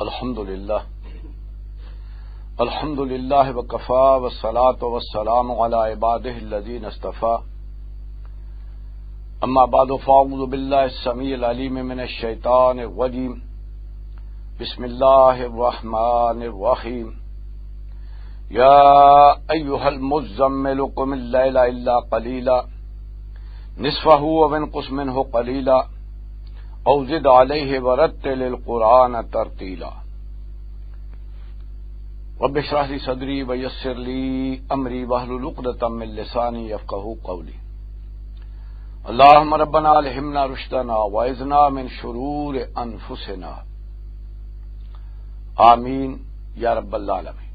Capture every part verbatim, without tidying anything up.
الحمد لله. الحمد لله وكفى، والصلاة والسلام على عباده الذين اصطفى. أما بعد، فأعوذ بالله السميع العليم من الشيطان الرجيم. بسم الله الرحمن الرحيم. يا أيها المزمل، قم الليل إلا قليلا، نصفه أو انقص منه قليلا، أو زد عليه ورتل القرآن ترتيلا. رب اشرح لي صدري ويسر لي أمري واحلل عقدة من لساني يفقهوا قولي. اللهم ربنا ألهمنا رشدنا وأعذنا من شرور أنفسنا. آمین یا رب العالمین۔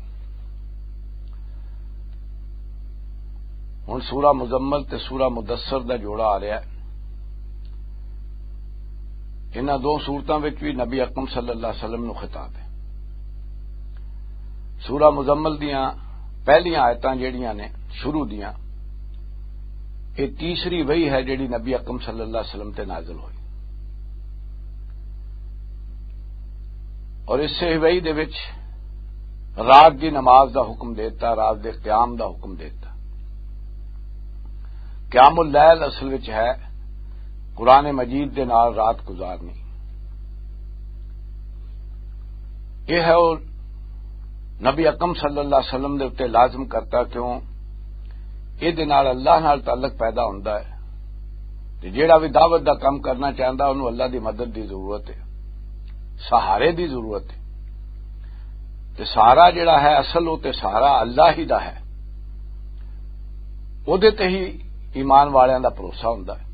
ہن سورہ مزمل تے سورہ مدثر دا جوڑا آ رہا ہے۔ انہاں دو سورتاں وچ بھی نبی اکرم صلی اللہ علیہ وسلم نو خطاب ہے۔ سورہ مزمل دیاں پہلیاں آیتاں جڑیاں نے شروع دیاں، یہ تیسری وحی ہے جڑی نبی اکرم صلی اللہ علیہ وسلم تے نازل ہوئی۔ اور اس سے وحی دے وچ رات دی نماز دا حکم دیتا، رات دے قیام دا حکم دیتا۔ قیام اللیل اصل وچ ہے قرآن مجید دے نال رات گزارنی۔ یہ ہے وہ نبی اکرم صلی اللہ علیہ وسلم دے اُتے لازم کرتا، کیوں؟ یہ دے نال اللہ نال تعلق پیدا ہوندا ہے۔ تے جیڑا بھی دعوت دا کم کرنا چاہندا، انہوں اللہ دی مدد دی ضرورت ہے، سہارے دی ضرورت ہے۔ تے سہارا جیڑا ہے، اصل وہ تے سہارا اللہ ہی دا ہے۔ او دے تے ہی ایمان والیاں دا بھروسہ ہوندا ہے۔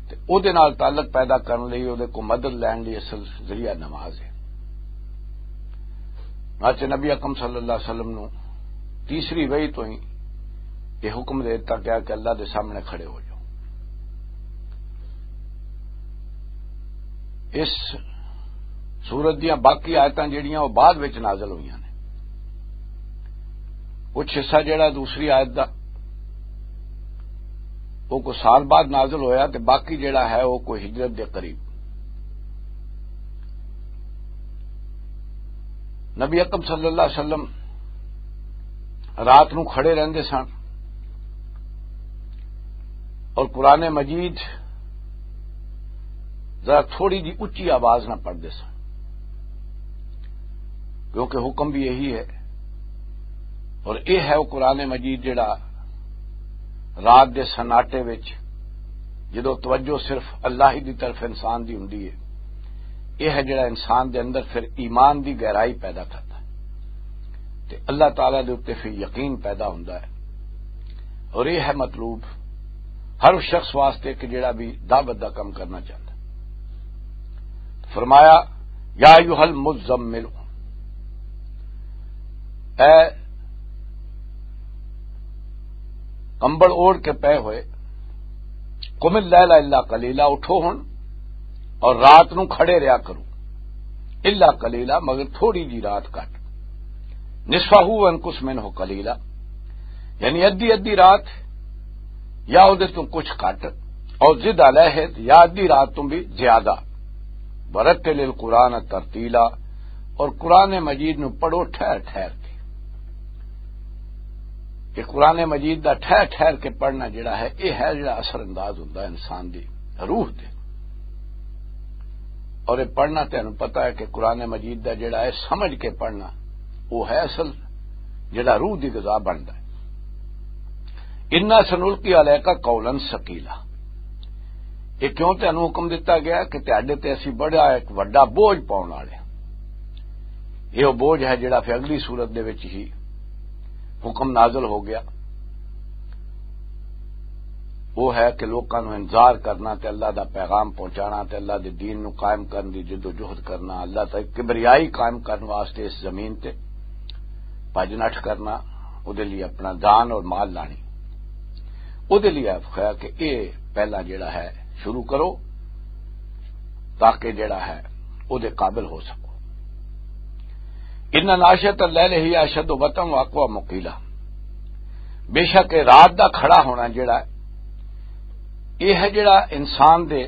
تے او دے نال تعلق پیدا کرن لئی، او دے کو مدد لین لئی اصل ذریعہ نماز ہے۔ چنانچہ نبی اکرم صلی اللہ علیہ وسلم نو تیسری وحی تو ہی یہ حکم دے دتا گیا کہ اللہ دے سامنے کھڑے ہو جاؤ۔ اس سورت دیاں باقی آیتاں جڑیاں، وہ بعد وچ نازل ہوئیاں نے۔ کچھ حصہ جڑا دوسری آیت دا، وہ کوئی سال بعد نازل ہویا، تے باقی جڑا ہے، وہ کوئی ہجرت دے قریب۔ نبی اکرم صلی اللہ علیہ وسلم رات نو کھڑے رہندے سن اور قرآن مجید ذرا تھوڑی جی اچی آواز نہ پڑھدے سن، کیونکہ حکم بھی یہی ہے۔ اور یہ ہے وہ قرآن مجید جڑا رات دے سناٹے وچ جدوں توجہ صرف اللہ ہی دی طرف انسان دی ہوندی ہے، یہ ہے جڑا انسان دے اندر پھر ایمان دی گہرائی پیدا کرتا ہے تے اللہ تعالیٰ دے اُتے پھر یقین پیدا ہوندا ہے۔ اور یہ ہے مطلوب ہر اس شخص واسطے کہ جڑا بھی دعوت دا کم کرنا چاہتا ہے۔ فرمایا، یا ایھا المزمل، اے کمبل اوڑھ کے پے ہوئے، قم اللیل الا قلیلا، اٹھو ہن اور رات نو کھڑے رہیا کرو، الا قلیلا، مگر تھوڑی جی رات کٹ، نصفہ او انقص منہ قلیلا، یعنی ادھی ادھی رات یا اودے تو کچھ کٹ، اور زد علیہ، یا ادھی رات تو بھی زیادہ، ورتل القرآن ترتیلا، اور قرآن مجید نو پڑھو ٹھہر ٹھہر کے۔ کہ قرآن مجید دا ٹھہر ٹھہر کے پڑھنا جڑا ہے، یہ ہے جڑا اثر انداز ہوندا ہے انسان دی روح تے۔ اور یہ پڑھنا تینوں پتہ ہے کہ قرآن مجید دا جڑا ہے سمجھ کے پڑھنا، وہ ہے اصل جڑا روح دی غذا بندا ہے۔ انا سنلقی علیک قولا ثقیلا۔ یہ کیوں تینوں حکم دتا گیا کہ تہاڈے تے اسی بڑا ایک وڈا بوجھ پاؤن والے ہاں۔ یہ وہ بوجھ ہے جڑا پھر اگلی صورت دے وچ ہی حکم نازل ہو گیا۔ وہ ہے کہ لوکاں نوں انذار کرنا تے اللہ دا پیغام پہنچانا تے اللہ دے دین نوں قائم کرن دی جد و جہد کرنا، اللہ تے کبریائی قائم کرن واسطے اس زمین تے بھج نٹھ کرنا، او دے لیے اپنا جان اور مال لانی۔ او دے لیے آخیا کہ اے پہلا جڑا ہے شروع کرو، تاکہ جڑا ہے او دے قابل ہو سکو۔ ان ناشئۃ اللیل ہی اشد وطئا واقوی مقیلا، بے شک اے رات دا کھڑا ہونا جڑا ہے، اے ہے جڑا انسان دے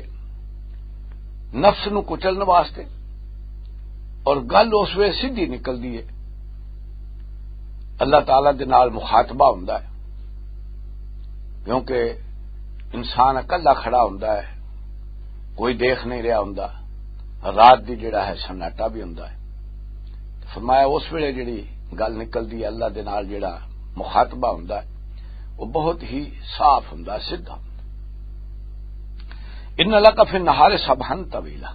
نفس نو کچلن واسطے اور گل اس ویلے سیدھی نکلدی ہے، اللہ تعالیٰ دے نال مخاطبہ ہوندا ہے، کیونکہ انسان اکلا کھڑا ہوندا ہے، کوئی دیکھ نہیں رہا ہوندا، رات دی جڑا ہے سناٹا بھی ہوندا ہے۔ فرمایا اس ویلے جڑی گل نکلدی ہے، اللہ دے نال جڑا مخاطبہ ہوندا ہے، وہ بہت ہی صاف ہوندا، سیدھا ہوندا۔ ان لک فی النہار سبحا طویلا،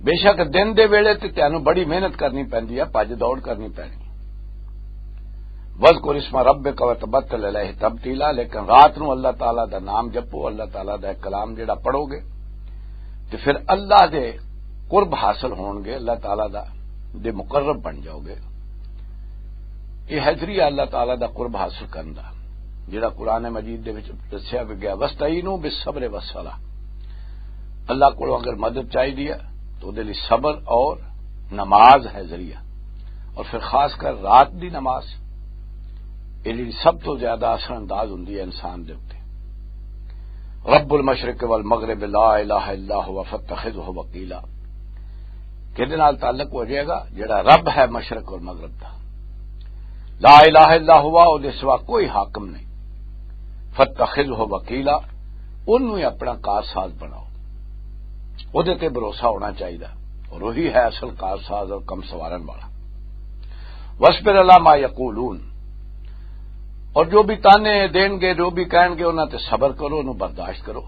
بے شک دن دے ویلے تے تینوں بڑی محنت کرنی پیندی ہے، بھج دوڑ کرنی پینی۔ وذکر اسم ربک وتبتل الیہ تبتیلا، لیکن رات نو اللہ تعالیٰ دا نام جپو، اللہ تعالیٰ دا ایک کلام جڑا پڑھو گے تے پھر اللہ دے قرب حاصل ہون گے، اللہ تعالیٰ دا دے مقرب بن جاؤ گے۔ یہ ہے ذریعہ اللہ تعالیٰ دا قرب حاصل کرن دا، جڑا قرآن مجید دے وچ دسیا بھی گیا، "واستعینوا بالصبر والصلاۃ۔" اللہ کو اگر مدد چاہیے ہے تو دے لئی صبر اور نماز ہے ذریعہ، اور پھر خاص کر رات دی نماز، یہ جڑی سب تو زیادہ اثر انداز ہوندی ہے انسان دے اُتے۔ رب المشرق والمغرب لا الہ الا هو فاتخذه وکیلا، کہدے نال تعلق ہو جائے گا؟ جڑا رب ہے مشرق اور مغرب دا، لا الہ الا ہوا، او دے سوا کوئی حاکم نہیں۔ فاتخذہ وکیلا، اونوں ہی اپنا کارساز بناؤ، او دے تے بھروسہ ہونا چاہیدا، اور وہی ہے اصل کارساز اور کم سوارن والا۔ واصبر علی ما یقولون، اور جو بھی تانے دین گے، جو بھی کہن گے، انہاں تے صبر کرو، انہوں برداشت کرو۔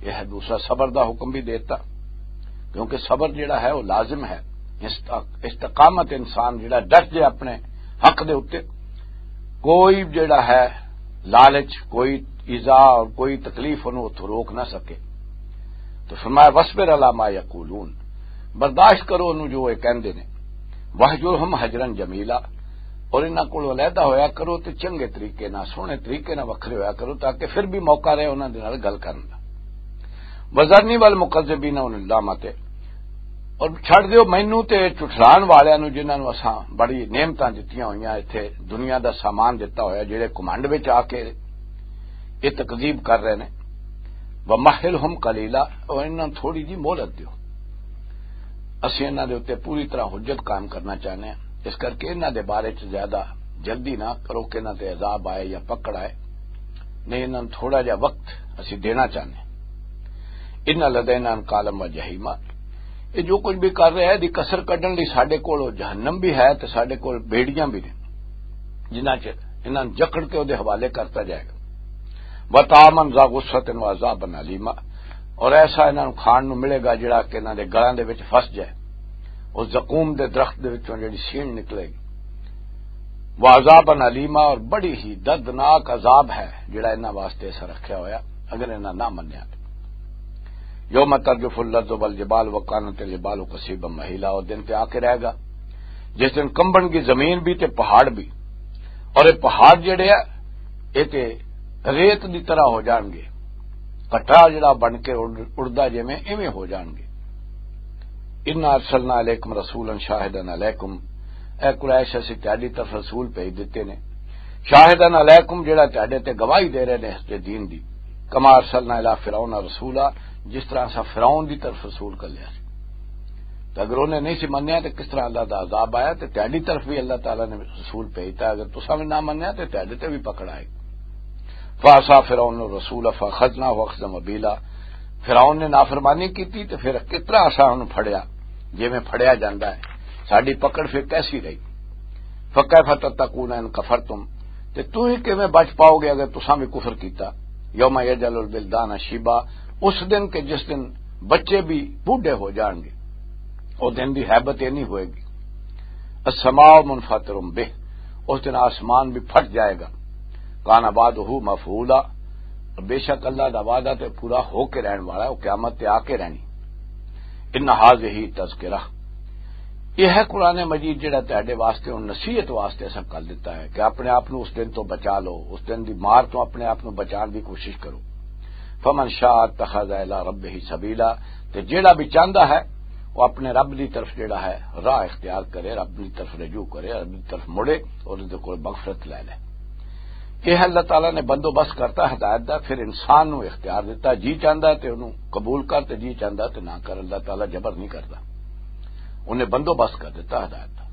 یہ ہے دوسرا صبر دا حکم بھی دیتا، کیونکہ صبر جڑا ہے وہ لازم ہے۔ است-، استقامت، انسان جڑا ڈٹ جائے اپنے حق دے اُتے، کوئی جڑا ہے لالچ، کوئی ایذا اور کوئی تکلیف انہوں اتھوں روک نہ سکے۔ تو فرمایا، "واصبر علی ما یقولون"، برداشت کرو انہوں جو یہ کہندے نے۔ "واہجرہم ہجرا جمیلا"، اور انہاں کولوں علیحدہ ہویا کرو تے چنگے طریقے نال، سوہنے طریقے نال وکھرے ہویا کرو، تاکہ پھر بھی موقع رہے انہاں دے نال گل کرن دا۔ "وذرنی والمکذبین اولی النعمۃ"، اور چھڈ دیو مینوں تے جھٹلان والیاں نوں، جنہاں نوں اساں بڑی نعمتاں دتیاں ہوئیاں، ایتھے دنیا دا سامان دتا ہویا، جڑے گھمنڈ وچ آ کے یہ تکذیب کر رہے نے۔ "ومہلہم قلیلا"، اور انہاں نوں تھوڑی جی مہلت دیو، اسی انہاں دے اُتے پوری طرح حجت قائم کرنا چاہنے ہیں، اس کر کے انہاں دے بارے چ زیادہ جلدی نہ کرو کہ انہاں تے عذاب آئے یا پکڑ آئے۔ نہیں، انہاں نوں تھوڑا جہا وقت اسی دینا چاہنے ہیں۔ ان لدینا انکالا و جحیما، یہ جو کچھ بھی کر رہے ہیں، دی کسر کڈن لئی ساڈے کول جہنم بھی ہے تے ساڈے کول بیڑیاں بھی نے، جنہاں چ انہاں نوں جکڑ کے اودے حوالے کرتا جائے گا۔ وطعاما ذا غصۃ وعذابا الیما، اور ایسا انہاں نوں کھان نوں ملے گا جڑا کہ انہاں دے گلاں دے وچ پھس جائے، اور زقوم دے درخت دے وچوں جڑی سین نکلے گی۔ وعذابا الیما، اور بڑی ہی دردناک عذاب ہے جڑا انہاں واسطے ایسا رکھیا ہویا اگر انہاں نہ منیا۔ یوم ترجف الارض والجبال وکانت الجبال کثیبا مہیلا، اور دن تے آ کے رہے گا جس دن کمبن کی زمین بھی تے پہاڑ بھی، اور یہ پہاڑ جڑے آ، یہ تے ریت دی طرح ہو جان گے، کٹا جڑا بن کے اڑ-، اڑدا جویں ایویں ہو جان گے۔ انا ارسلنا الیکم رسولا شاہدا علیکم، اے قریش، اسی تہاڈی طرف رسول بھیج دتے نے، شاہدا علیکم، جڑا تہاڈے تے گواہی دے رہے نے اس دے دین دی، کما ارسلنا الی فرعون رسولا، جس طرح اساں فرعون دی طرف رسول کر لیا سی۔ تے اگر انہیں نہیں سی منیا تے کس طرح اللہ دا عذاب آیا؟ تے تہاڈی طرف بھی اللہ تعالیٰ نے رسول بھیجتا، اگر تساں بھی نہ منیا تے تہاڈے تے بھی پکڑ آئے۔ فعصا فرعون الرسول فاخذناہ اخذا وبیلا، فرعون نے نافرمانی کیتی تے پھر کس طرح اساں انہوں پھڑیا، جویں پھڑیا جاندا ہے، ساڈی پکڑ پھر کیسی رہی؟ فکیف تتقون ان کفرتم، تے توں ہی کیویں بچ پاؤ گے اگر تساں بھی کفر کیتا؟ یوم یجعل الولدان شیبا، اس دن کہ جس دن بچے بھی بوڑھے ہو جان گے، او دن دی ہیبت یہ نہیں ہوئے گی۔ السماء منفطر بہ، اس دن آسمان بھی پھٹ جائے گا۔ کان وعدہ مفعولا، بے شک اللہ دا وعدہ تے پورا ہو کے رہن والا ہے، وہ قیامت تے آ کے رہنی۔ ان ھذہ تذکرہ، یہ ہے قرآن مجید جڑا تہاڈے واسطے ہن نصیحت واسطے اساں کر دتا ہے کہ اپنے آپ نو اس دن تو بچا لو، اس دن دی مار تو اپنے آپ نو بچان دی کوشش کرو۔ فمن شاء اتخذ الی ربہ سبیلا، تے جیڑا بھی چاہندا ہے وہ اپنے رب دی طرف جیڑا ہے راہ اختیار کرے، رب دی طرف رجوع کرے، رب دی طرف مڑے اور اس دے کول مغفرت لے لے۔ یہ اللہ تعالیٰ نے بندوبست کرتا ہدایت دا، پھر انسان نو اختیار دیتا، جی چاہندا ہے تے انہوں قبول کر تے جی چاہندا ہے تے نہ کر، اللہ تعالیٰ جبر نہیں کرتا۔ انہیں بندوبست کر دیتا ہدایت دا۔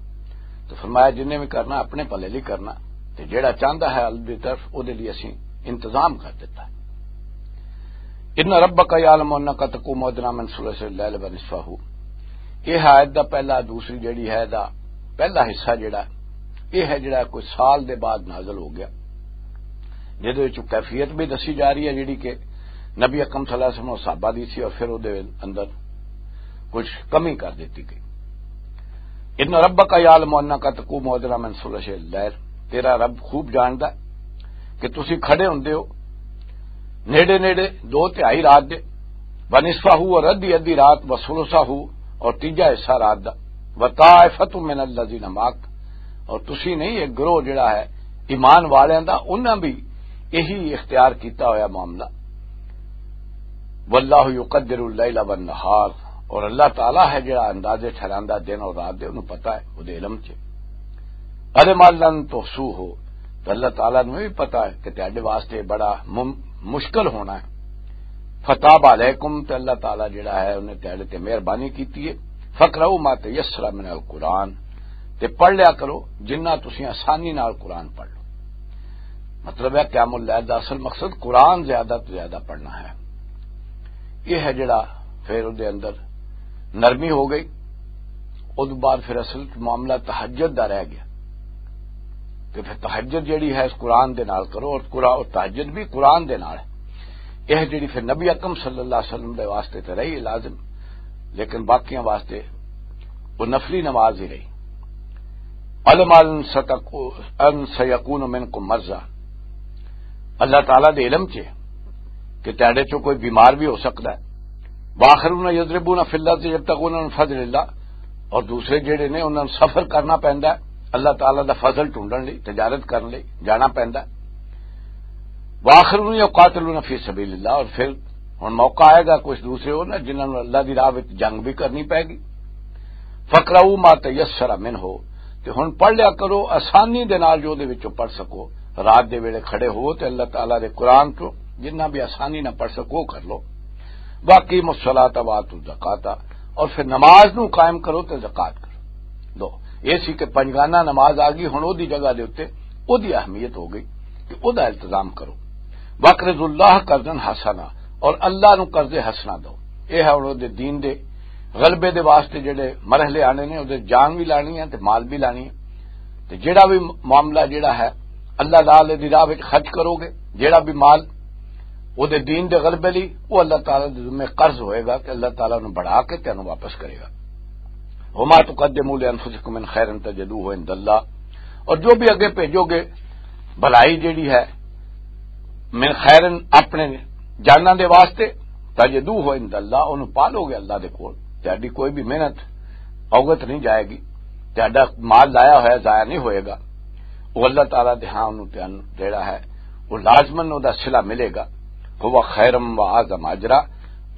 تو فرمایا، جنہیں بھی کرنا اپنے بھلے لئی کرنا، تے جیڑا چاہندا ہے اللہ دی طرف، او دے لئی اسی انتظام کر دیتا۔ ان ربک یعلم انک تقوم ادنی من ثلث اللیل و نصفہ۔ یہ ہے آیت دا پہلا، دوسری جیڑی ہے دا پہلا حصہ جیڑا، یہ ہے جیڑا کوئی سال دے بعد نازل ہو گیا، جہدے وچ کیفیت بھی دسی جا رہی ہے جیڑی کہ نبی اکرم صلی اللہ علیہ وسلم و صحابہ دی سی، اور پھر او دے اندر کچھ کمی کر دتی گئی۔ ان ربک یعلم انک تقوم ادنی من ثلث اللیل، تیرا رب خوب جاندا ہے کہ تسی کھڑے ہوندے ہو نیڑے نیڑے دو تہائی رات دے، ونصفہ، اور ادھی ادھی رات، وثلثہ، اور تیجا حصہ رات دا، وطائفۃ من الذین معک، اور تسی نہیں، ایک گروہ جڑا ہے ایمان والیاں دا، انہاں بھی یہی اختیار کیتا ہویا معاملہ۔ واللہ یقدر اللیل والنہار، اور اللہ تعالیٰ ہے جڑا اندازے ٹھہراندا دن اور رات دے، انہوں پتہ ہے، وہ دے علم چ۔ علم لن تحصوہ، تو اللہ تعالیٰ نوں بھی پتہ ہے کہ تہاڈے واسطے بڑا مم-، مشکل ہونا ہے۔ فتاب علیکم، تے اللہ تعالیٰ جڑا ہے انہیں تہاڈے تے مہربانی کیتی ہے۔ فقرؤوا ما تیسر من القرآن، تے پڑھ لیا کرو جنہ تسی آسانی نال قرآن پڑھ لو۔ مطلب ہے، قیام اللیل دا اصل مقصد قرآن زیادہ تو زیادہ پڑھنا ہے۔ یہ ہے جڑا پھر اودے اندر نرمی ہو گئی۔ اس بعد پھر اصل معاملہ تہجد دا رہ گیا کہ پھر تہجد جڑی ہے اس قرآن دے نال کرو، اور قرآن، اور تہجد بھی قرآن دے نال ہے۔ یہ جڑی پھر نبی اکرم صلی اللہ علیہ وسلم دے واسطے تے رہی لازم، لیکن باقیاں واسطے وہ نفلی نماز ہی رہی۔ علم ان ستکو-، ان سیکون منکم مرضی، اللہ تعالیٰ دے علم چ کہ تیرے چوں کوئی بیمار بھی ہو سکتا ہے۔ وآخرون یضربون فی الارض یبتغون من فضل اللہ، اور دوسرے جڑے نے انہاں نوں سفر کرنا پیندا ہے اللہ تعالیٰ دا فضل ڈھونڈن لئی، تجارت کرن لئی جانا پیندا ہے۔ وآخرون یقاتلون فی سبیل اللہ، اور پھر ہن موقع آئے گا کچھ دوسرے ہو نا جنہاں نوں اللہ دی راہ وچ جنگ بھی کرنی پے گی۔ فقرؤوا ما تیسر منہ، تے ہن پڑھ لیا کرو آسانی دے نال جو دے وچوں پڑھ سکو۔ رات دے ویلے کھڑے ہو تے اللہ تعالیٰ دے قرآن چوں جنہ بھی آسانی نہ پڑھ سکو کر لو۔ واقیموا الصلاۃ وآتوا الزکاۃ، اور پھر نماز نو قائم کرو تے زکوٰۃ کرو۔ دو، یہ سی کہ پنجگانہ نماز آ گئی، ہن او دی جگہ دے اُتے او دی اہمیت ہو گئی کہ او دا التزام کرو۔ واقرضوا اللہ قرضا حسنا، اور اللہ نو قرض حسنا دو۔ یہ ہے ہن او دے دین دے غلبے دے واسطے جڑے مرحلے آنے نے، او دے جان بھی لانی ہے تے مال بھی لانی ہے۔ تے جڑا بھی معاملہ جڑا ہے اللہ تعالی دی راہ وچ خرچ کرو گے، جڑا بھی مال او دے دین دے غلبے لئی، او اللہ تعالی دے ذمے قرض ہوئے گا کہ اللہ تعالی نو بڑھا کے تینوں واپس کرے گا۔ وما تقدموا لانفسکم من خیر تجدوہ عند اللہ، اور جو بھی اگے بھیجو گے بھلائی جڑی ہے من خیر اپنے جاناں دے واسطے، تجدوہ عند اللہ، انہوں پا لو گے اللہ دے کول۔ تہاڈی کوئی بھی محنت اوگت نہیں جائے گی، تہاڈا مال لایا ہویا ضائع نہیں ہوئے گا۔ وہ اللہ تعالیٰ دے ہاں انہوں تے ان-، جڑا ہے وہ لازماً وہ دا صلہ ملے گا۔ هو خیرم و اعظم اجرا،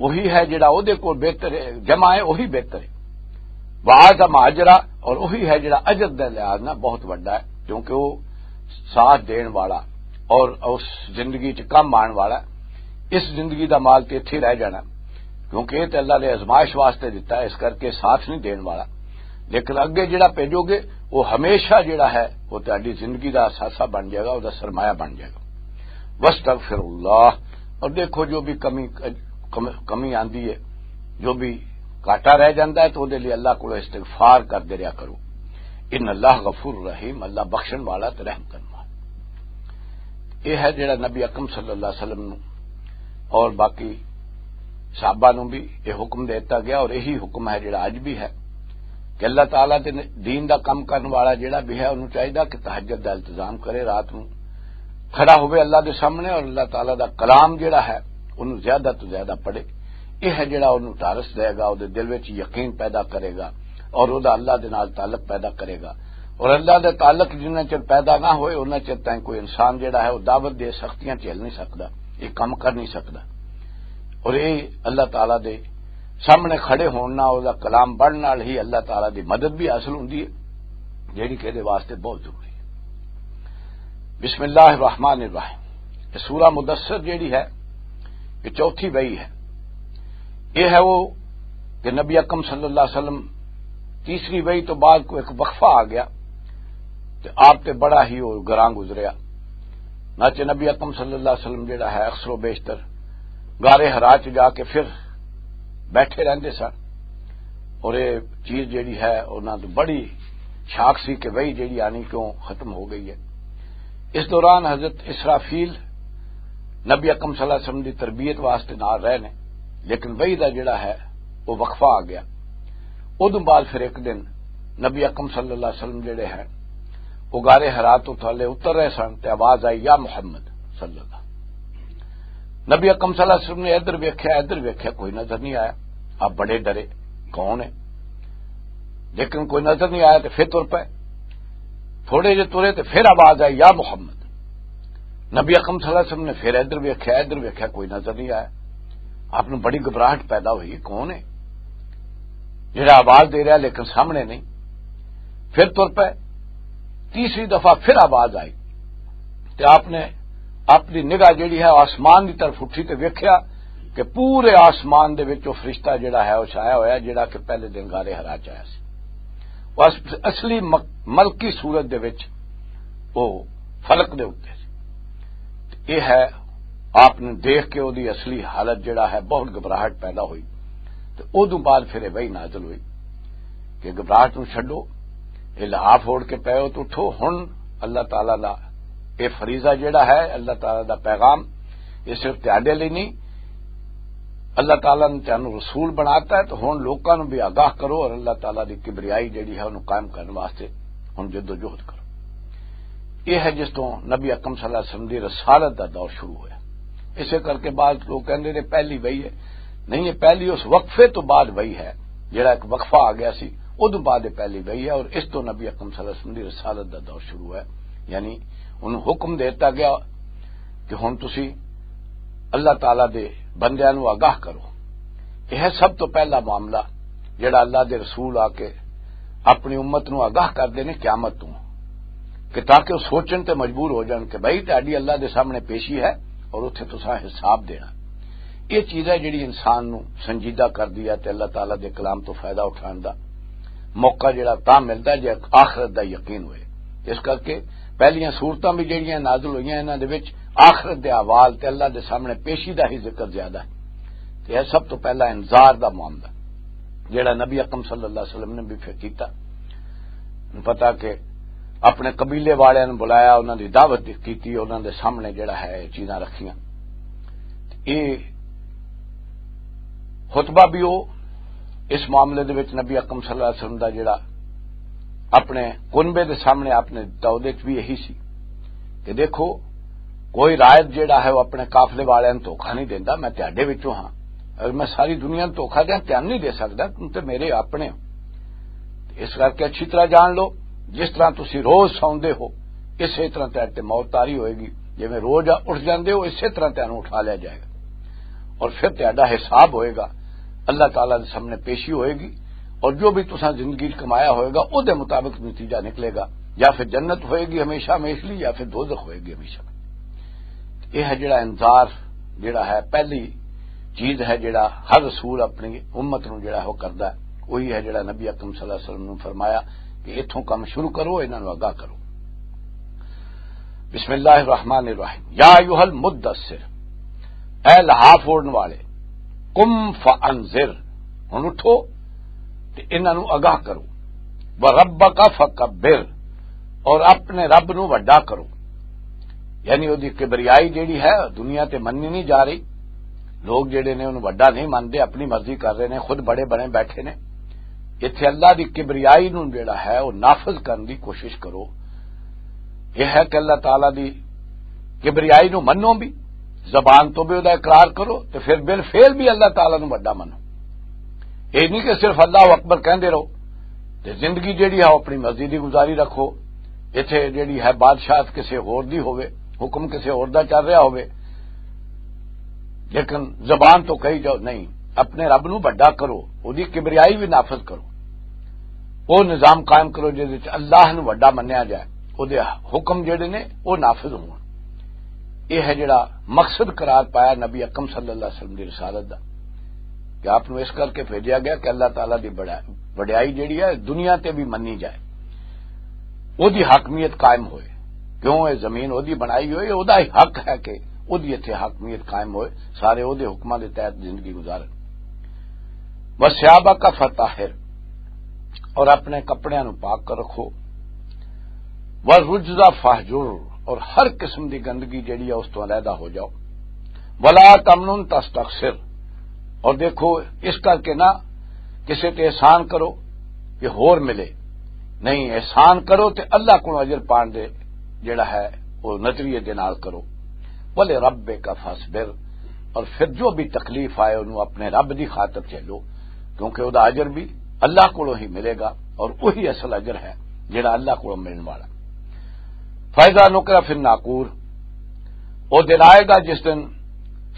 وہی ہے جڑا وہ دے کول بہتر ہے، جمع ہے وہی بہتر ہے۔ و اعظم اجرا، اور وہی ہے جڑا اجر دے لحاظ نہ بہت وڈا ہے، کیونکہ وہ ساتھ دین والا اور اس زندگی چ کم آن والا ہے۔ اس زندگی دا مال تے اتھے رہ جانا، کیونکہ یہ تے اللہ نے آزمائش واسطے دتا ہے، اس کر کے ساتھ نہیں دین والا۔ لیکن اگے جڑا بھیجو گے، وہ ہمیشہ جڑا ہے، وہ تہاڈی زندگی دا اثاثہ بن جائے گا، وہ دا سرمایہ بن جائے گا۔ واستغفر اللہ، اور دیکھو جو بھی کمی، کم-، کمی آندی ہے، جو بھی گھاٹا رہ جاندا ہے، تو دے لئی اللہ کو استغفار کر دے رہا کرو۔ ان اللہ غفور رحیم، اللہ بخشن والا تے رحم کرن والا۔ یہ ہے جڑا نبی اکرم صلی اللہ علیہ وسلم نو اور باقی صحابہ نو بھی یہ حکم دیتا گیا، اور یہی حکم ہے جڑا اج بھی ہے کہ اللہ تعالیٰ دے دین دا کم کرن والا جڑا بھی ہے، انہوں چاہیدا کہ تہجد دا التزام کرے، رات نو کھڑا ہوئے اللہ دے سامنے اور اللہ تعالیٰ دا کلام جڑا ہے، انہوں زیادہ تو زیادہ پڑھے۔ یہ ہے جڑا انہوں ڈھارس دے گا، وہ دے دل وچ یقین پیدا کرے گا اور وہ دا اللہ دے نال تعلق پیدا کرے گا۔ اور اللہ دا تعلق جنہ چر پیدا نہ ہوئے، انہ چر تائیں کوئی انسان جڑا ہے، وہ دعوت دے سختیاں جھیل نہیں سکدا، یہ کم کر نہیں سکدا۔ اور یہ اللہ تعالیٰ دے سامنے کھڑے ہونا، وہ دا کلام پڑھن نال ہی اللہ تعالیٰ دی مدد بھی حاصل ہوندی ہے، جڑی کہ دے واسطے بہت ضروری ہے۔ بسم اللہ الرحمن الرحیم۔ یہ سورہ مدثر جیڑی ہے، یہ چوتھی وحی ہے۔ یہ ہے وہ کہ نبی اکرم صلی اللہ علیہ وسلم تیسری وحی تو بعد کوئی ایک وقفہ آ گیا، تے آپ تے بڑا ہی وہ گراں گزریا۔ ناچے نبی اکرم صلی اللہ علیہ وسلم جڑا ہے، اکثر و بیشتر غار حرا چ جا کے پھر بیٹھے رہندے سن، اور یہ چیز جڑی ہے، انہاں تو بڑی شاک سی کہ وحی جڑی آنی کیوں ختم ہو گئی ہے۔ اس دوران حضرت اسرافیل نبی اکرم صلی اللہ علیہ وسلم دی تربیت واسطے نال رہے نے، لیکن وحی دا جڑا ہے، وہ وقفہ آ گیا۔ ادوں بعد پھر ایک دن نبی اکرم صلی اللہ علیہ وسلم جڑے ہیں، وہ غار حرا تو تھلے اتر رہے سن، تے آواز آئی، "یا محمد صلی اللہ۔" نبی اکرم صلی اللہ علیہ وسلم نے ادھر ویکھیا، ادھر ویکھیا، کوئی نظر نہیں آیا۔ آپ بڑے ڈرے، کون ہے؟ لیکن کوئی نظر نہیں آیا، تے پھر تر پے۔ تھوڑے جے ترے، تے پھر آواز آئی، "یا محمد۔" نبی اکرم صلی اللہ علیہ وسلم نے پھر ادھر ویکھیا، ادھر ویکھیا، کوئی نظر نہیں آیا۔ آپ نوں بڑی گھبراہٹ پیدا ہوئی، کون ہے جڑا آواز دے رہا لیکن سامنے نہیں؟ پھر تر پے۔ تیسری دفعہ پھر آواز آئی، تے آپ نے اپنی نگاہ جڑی ہے آسمان دی طرف اٹھی تے ویکھیا کہ پورے آسمان دے وچ وہ فرشتہ جڑا ہے، وہ چھایا ہویا، جڑا کہ پہلے دن غار حرا چ آیا سی۔ وہ اس-، اصلی مک-، ملکی صورت دے وچ وہ فلک دے اوتے سی۔ یہ ہے، آپ نے دیکھ کے وہ دی اصلی حالت جڑا ہے، بہت گھبراہٹ پیدا ہوئی۔ تے ادوں بعد پھر یہ وحی نازل ہوئی کہ گھبراہٹ نوں چھڈو، یہ لحاف اوڑھ کے پے ہو تو اٹھو۔ ہن اللہ تعالیٰ دا یہ فریضہ جڑا ہے، اللہ تعالیٰ دا پیغام، یہ صرف تہاڈے لئی نہیں، اللہ تعالیٰ نے تانوں رسول بناتا ہے، تو ہن لوکاں نوں بھی آگاہ کرو اور اللہ تعالیٰ دی کبریائی جڑی ہے، انہوں قائم کرنے واسطے ہن جدوجہد کرو۔ یہ ہے جس تو نبی اکرم صلی اللہ علیہ وسلم دی رسالت دا دور شروع ہویا۔ اسے کر کے بعض لوگ کہندے نے پہلی وحی ہے، نہیں، یہ پہلی اس وقفے تو بعد وحی ہے، جڑا ایک وقفہ آ گیا سی، ادوں بعد یہ پہلی وحی ہے، اور اس تو نبی اکرم صلی اللہ علیہ وسلم دی رسالت دا دور شروع ہے۔ یعنی انہوں حکم دیتا گیا کہ ہن تسی اللہ تعالیٰ دے بندیاں نوں آگاہ کرو۔ یہ ہے سب تو پہلا معاملہ جڑا اللہ دے رسول آ کے اپنی امت نوں آگاہ کردے نے قیامت تو، کہ تاکہ وہ سوچن تے مجبور ہو جان کہ بھائی، تہاڈی اللہ دے سامنے پیشی ہے اور اتھے تساں حساب دینا۔ یہ چیز ہے جڑی انسان نوں سنجیدہ کردی ہے تے اللہ تعالیٰ دے کلام تو فائدہ اٹھان دا موقع جڑا تاں ملدا ہے جے آخرت دا یقین ہوئے۔ اس کر کے پہلیاں صورتاں بھی جڑیاں نازل ہوئیاں، انہاں دے وچ آخرت دے احوال تے اللہ دے سامنے پیشی دا ہی ذکر زیادہ ہے۔ تے یہ سب تو پہلا انذار دا معاملہ جڑا نبی اکرم صلی اللہ علیہ وسلم نے بھی پھر کیتا۔ پتا کہ اپنے قبیلے والے نے بلایا، انہاں دی دعوت کیتی، انہاں دے سامنے جڑا ہے یہ چیزاں رکھیاں۔ یہ خطبہ بھی وہ اس معاملے دے وچ نبی اکرم صلی اللہ علیہ وسلم دا جڑا اپنے کنبے دے سامنے آپ نے دعوت وچ بھی یہی سی کہ دیکھو، کوئی رائد جڑا ہے وہ اپنے قافلے والے نوں دھوکا نہیں دیندا، میں تہاڈے وچوں ہاں، اگر میں ساری دنیا نوں دھوکا دیاں، تہانوں نہیں دے سکدا، تم تے میرے اپنے ہو۔ اس کر کے اچھی طرح جان لو، جس طرح تسی روز سوندے ہو، اسی طرح تہاڈے تے موت طاری ہوئے گی، جویں روز اٹھ جاندے ہو، اسی طرح تہانوں اٹھا لیا جائے گا اور پھر تہاڈا حساب ہوئے گا، اللہ تعالیٰ دے سامنے پیشی ہوئے گی، اور جو بھی تساں زندگی چ کمایا ہوئے گا، او دے مطابق نتیجہ نکلے گا، یا پھر جنت ہوئے گی ہمیشہ ہمیش لی، یا پھر دوزخ ہوئے گی ہمیشہ۔ یہ ہے جڑا انذار، جڑا ہے پہلی چیز ہے جڑا ہر رسول اپنی امت نوں جڑا ہے وہ کردا ہے، وہی ہے جڑا نبی اکرم صلی اللہ علیہ وسلم نے فرمایا کہ اتھوں کم شروع کرو، انہاں نوں آگاہ کرو۔ بسم اللہ الرحمن الرحیم۔ یا ایھا المدثر، اے لحاف اوڑھن والے، قم فانذر، ہن اٹھو تے انہاں نوں آگاہ کرو۔ وربک فکبر، اور اپنے رب نوں وڈا کرو۔ یعنی او دی کبریائی جیڑی ہے دنیا تے مننی نہیں جا رہی۔ لوگ جیڑے نے انہوں وڈا نہیں مندے، اپنی مرضی کر رہے نے، خود بڑے بنے بیٹھے نے۔ ایتھے اللہ دی کبریائی نوں جیڑا ہے او نافذ کرن دی کوشش کرو۔ یہ ہے کہ اللہ تعالیٰ دی کبریائی نوں منو بھی، زبان تو بھی او دا اقرار کرو، تے پھر بالفعل بھی اللہ تعالیٰ نوں وڈا منو۔ یہ نہیں کہ صرف اللہ اکبر کہندے رہو تے زندگی جیڑی ہے او اپنی مرضی دی گزاری رکھو۔ ایتھے جیڑی ہے بادشاہت کسے ہور دی ہووے، حکم کسے ہور دا چل رہا ہووے، لیکن زبان تو کہی جاؤ نہیں، اپنے رب نو وڈا کرو، او دی کبریائی بھی نافذ کرو، او نظام قائم کرو جس وچ اللہ نو وڈا منیا جائے، او دے حکم جڑے نے او نافذ ہون۔ یہ ہے جڑا مقصد قرار پایا نبی اکرم صلی اللہ علیہ وسلم دی رسالت دا، کہ آپ نو اس کر کے بھیجیا گیا کہ اللہ تعالیٰ دی بڑا وڈیائی جیڑی ہے دنیا تے بھی منی جائے، او دی حاکمیت قائم ہوئے۔ کیوں؟ اے زمین او دی بنائی ہوئی، او دا ہی حق ہے کہ او دی اتھے حاکمیت قائم ہوئے، سارے او دے حکماں دے تحت زندگی گزارن۔ وَثِيَابَكَ فَطَهِّرْ، اور اپنے کپڑیاں نو پاک کر رکھو۔ وَالرُّجْزَ فَاهْجُرْ، اور ہر قسم دی گندگی جیڑی ہے اس تو علیحدہ ہو جاؤ۔ وَلَا تَمْنُن تَسْتَكْثِرْ، اور دیکھو، اس کر کے نہ کسے تے احسان کرو کہ ہور ملے، نہیں، احسان کرو تے اللہ کو اجر پان دے جڑا ہے وہ نظریے دے نال کرو۔ وَلِرَبِّكَ فَاصْبِرْ، اور پھر جو بھی تکلیف آئے انہوں اپنے رب دی خاطر جھیلو، کیونکہ وہ اجر بھی اللہ کو ہی ملے گا، اور وہی اصل اجر ہے جڑا اللہ کو ملنے والا۔ فَإِذَا نُقِرَ فِي النَّاقُورِ، وہ دن آئے گا جس دن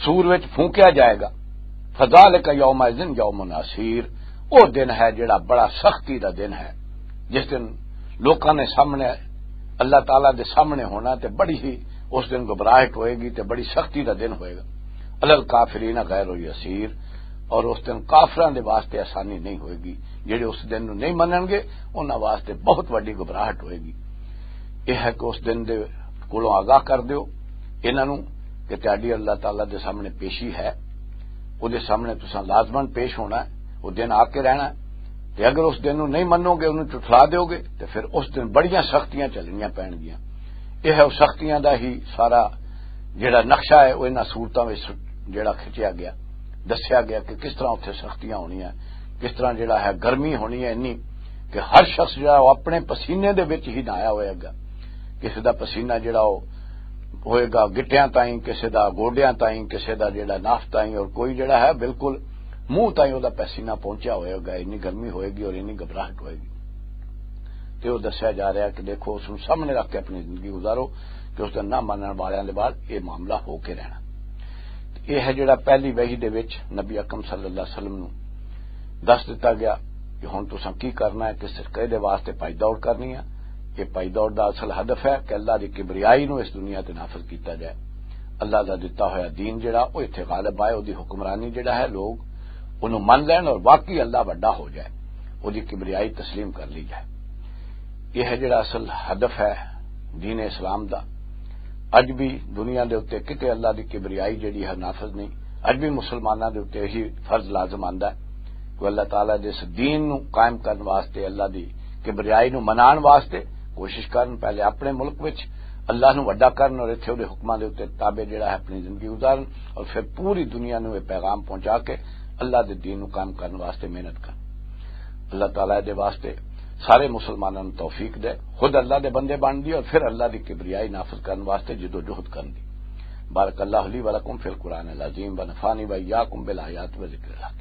سور وچ پھونکیا جائے گا۔ فَذَلِكَ يَوْمَئِذٍ يَوْمٌ عَسِيرٌ، وہ دن ہے جڑا بڑا سختی دا دن ہے، جس دن لوکاں نے سامنے، اللہ تعالیٰ دے سامنے ہونا تے بڑی ہی اس دن گھبراہٹ ہوئے گی تے بڑی سختی دا دن ہوئے گا۔ عَلَى الْكَافِرِينَ غَيْرُ يَسِيرٌ، اور اس دن کافراں دے واسطے آسانی نہیں ہوئے گی، جڑے اس دن نوں نہیں منن گے، انہاں واسطے بہت وڈی گھبراہٹ ہوئے گی۔ یہ ہے کہ اس دن دے کولوں آگاہ کر دیو انہاں نوں کہ تہاڈی اللہ تعالیٰ دے سامنے پیشی ہے، او دے سامنے تساں لازمن پیش ہونا ہے، وہ دن آ کے رہنا ہے۔ تے اگر اس دن نوں نہیں منو گے، انہوں جھٹلا دیو گے، تے پھر اس دن بڑیاں سختیاں چلنیاں پین گیاں۔ یہ ہے، وہ سختیاں دا ہی سارا جڑا نقشہ ہے، وہ انہاں صورتاں وچ جڑا کھچیا گیا، دسیا گیا کہ کس طرح اتھے سختیاں ہونیاں، کس طرح جڑا ہے گرمی ہونی ہے انی کہ ہر شخص جڑا وہ اپنے پسینے دے وچ ہی نہایا ہوئے گا۔ کسی دا پسینہ جڑا وہ ہوئے گا گٹیاں تائیں، کسی دا گوڈیاں تائیں، کسی دا جڑا ناف تائیں، اور کوئی جڑا ہے بالکل منہ تائیں وہ پسینہ پہنچیا ہوئے گا، انی گرمی ہوئے گی اور انی گھبراہٹ ہوئے گی۔ تے وہ دسیا جا رہا ہے کہ دیکھو، اس نوں سامنے رکھ کے اپنی زندگی گزارو کہ اس دن نہ مانن والیاں دے بعد یہ معاملہ ہو کے رہنا۔ یہ ہے جڑا پہلی وحی دے وچ نبی اکرم صلی اللہ علیہ وسلم نوں دس دتا گیا کہ ہن تساں کی کرنا ہے، کس طریقے دے واسطے پائی دوڑ کرنی ہے۔ یہ پائی دوڑ دا اصل ہدف ہے کہ اللہ دی کبریائی نوں اس دنیا تے نافذ کیتا جائے، اللہ دا دتا ہویا دین جڑا وہ اتھے غالب آئے، وہ دی حکمرانی جڑا ہے، لوگ انہوں من لین اور واقعی اللہ وڈا ہو جائے، وہ دی کبریائی تسلیم کر لی جائے۔ یہ ہے جڑا اصل ہدف ہے دین اسلام دا۔ اج بھی دنیا دے اُتے کتے اللہ دی کبریائی جڑی ہے نافذ نہیں۔ اج بھی مسلماناں دے اُتے یہی فرض لازم آندا ہے کہ اللہ تعالیٰ دے اس دین نو قائم کرن واسطے، اللہ دی کبریائی نو منان واسطے کوشش کرن، پہلے اپنے ملک وچ اللہ نو وڈا کرن اور اتھے اودے حکماں دے اُتے تابع جڑا ہے اپنی زندگی گزارن، اور پھر پوری دنیا نو یہ پیغام پہنچا کے اللہ دے دین نو قائم کرن واسطے محنت کرن۔ اللہ تعالیٰ دے واسطے سارے مسلماناں نوں توفیق دے، خود اللہ دے بندے بن دی اور پھر اللہ دی کبریائی نافذ کرن واسطے جدوجہد کرن دی۔ بارک اللہ لی ولکم فی القرآن العظیم ونفعنی وایاکم بالآیات و ذکر الحکیم۔